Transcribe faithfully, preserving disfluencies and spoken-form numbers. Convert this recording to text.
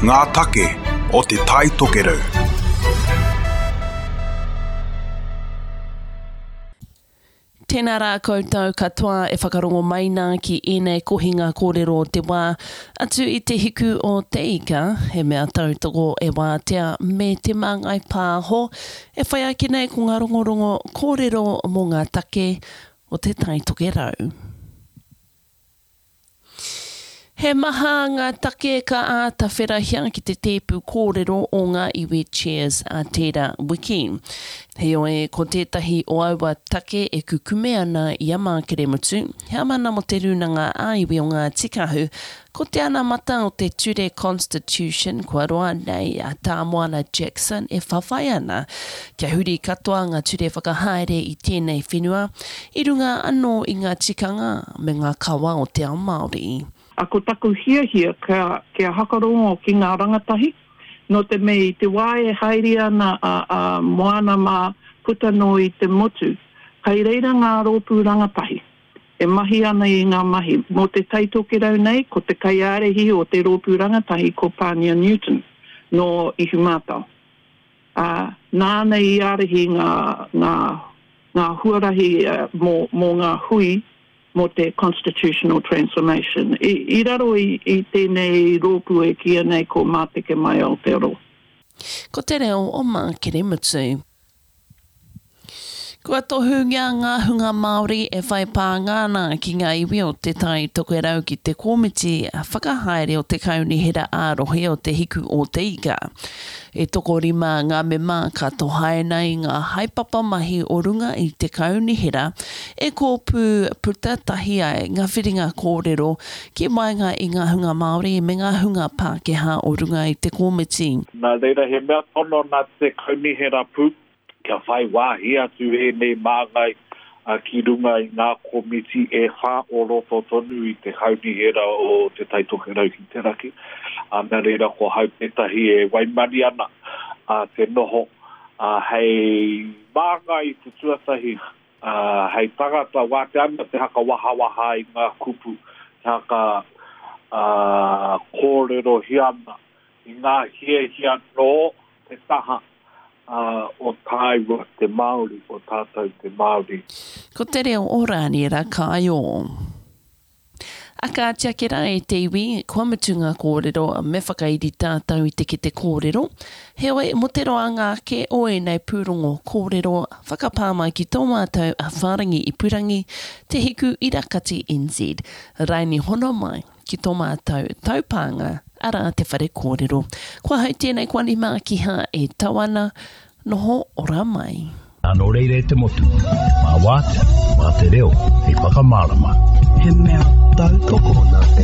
Ngā take o Te Tai Tokerau. Tēnā rā koutou katoa e whakarongo mai nā ki ēnei kohinga kōrero o te wā, atu i te hiku o te ika, he mea tautoko e Wātea me Te Māngai Pāho, e whai ake nei ko ngā rongorongo kōrero mō ngā take o Te Tai Tokerau. He maha ngā take ka āta wherahia ki te tēpu kōrero o ngā iwi Cheers a tērā wiki. Heoi, ko tētahi o aua take e kukume ana i a Mākeremutu, heamana mō te Rūnanga ā-Iwi o Ngāti Kahu, ko te anamata o te ture Constitution kua roa nei a Tā Moana Jackson e whawhai ana kia huri katoa ngā ture whakahaere i tēnei whenua i runga anō i ngā tikanga me ngā kawa o te ao Māori. A ko taku hiahia kia, kia hakarongo ki ngā rangatahi, nō te mea i te wā e haere ana a, a Moana mā puta noa i te motu, kai reira ngā rōpū rangatahi e mahi ana i ngā mahi. Mō te Tai Tokerau nei, ko te kaiārahi o te rōpū rangatahi ko Pānia Newton nō Ihumātao. Ā, nāna i ārahi ngā, ngā, ngā huarahi mō, mō ngā hui mō te Constitutional Transformation. I, i raro i, i tēnei rōpū e kīia nei ko Māteke Mai Aotearoa. Ko te reo o Mākeremutu. Kua tohungia ngā hunga Māori e whai pānga ana ki ngā iwi o Te Tai Tokerau ki te komiti whakahaere o te Kaunihera ā-Rohe o Te Hiku o Te Ika. E tokorima ngā mema ka tohaina i ngā haepapa mahi o runga i te kaunihera e kōpū puta tahi ai ngā whiringa kōrero ki waenga i ngā hunga Māori me ngā hunga Pākehā o runga i te komiti. Nā reira, he mea tono nā te kaunihera pū kia whai wāhi atu ēnei māngai ki runga i ngā komiti e whā o roto tonu i te kaunihera o Te Tai Tokerau ki te Raki. Nā reira, ko hau tētahi e waimani ana te noho hei māngai i te tuatahi, hei tangata wātea ana te haka wahawaha i ngā kupu, te haka kōrerohia ana i ngā hiahia nō te taha o tāua te Māori, o tātou te Māori. Ko te reo o Rāniera Kāio. A kāti ake rā e te iwi, kua mutu ngā kōrero, me whakairi tātou i te kete kōrero. Heoi, mō te roanga ake o ēnei pūrongo kōrero, whakapā mai ki tō mātou a Whārangi Ipurangi, Te Hiku Irakati N Z, raini hono mai ki tō mātou taupānga, arā te whare kōrero. Ko ahau tēnei ko Ani Mākiha e tau ana, noho ora mai. Nō reira e te motu, mā Wātea, mā te reo hei whakamārama. He mea tautoko. Nā te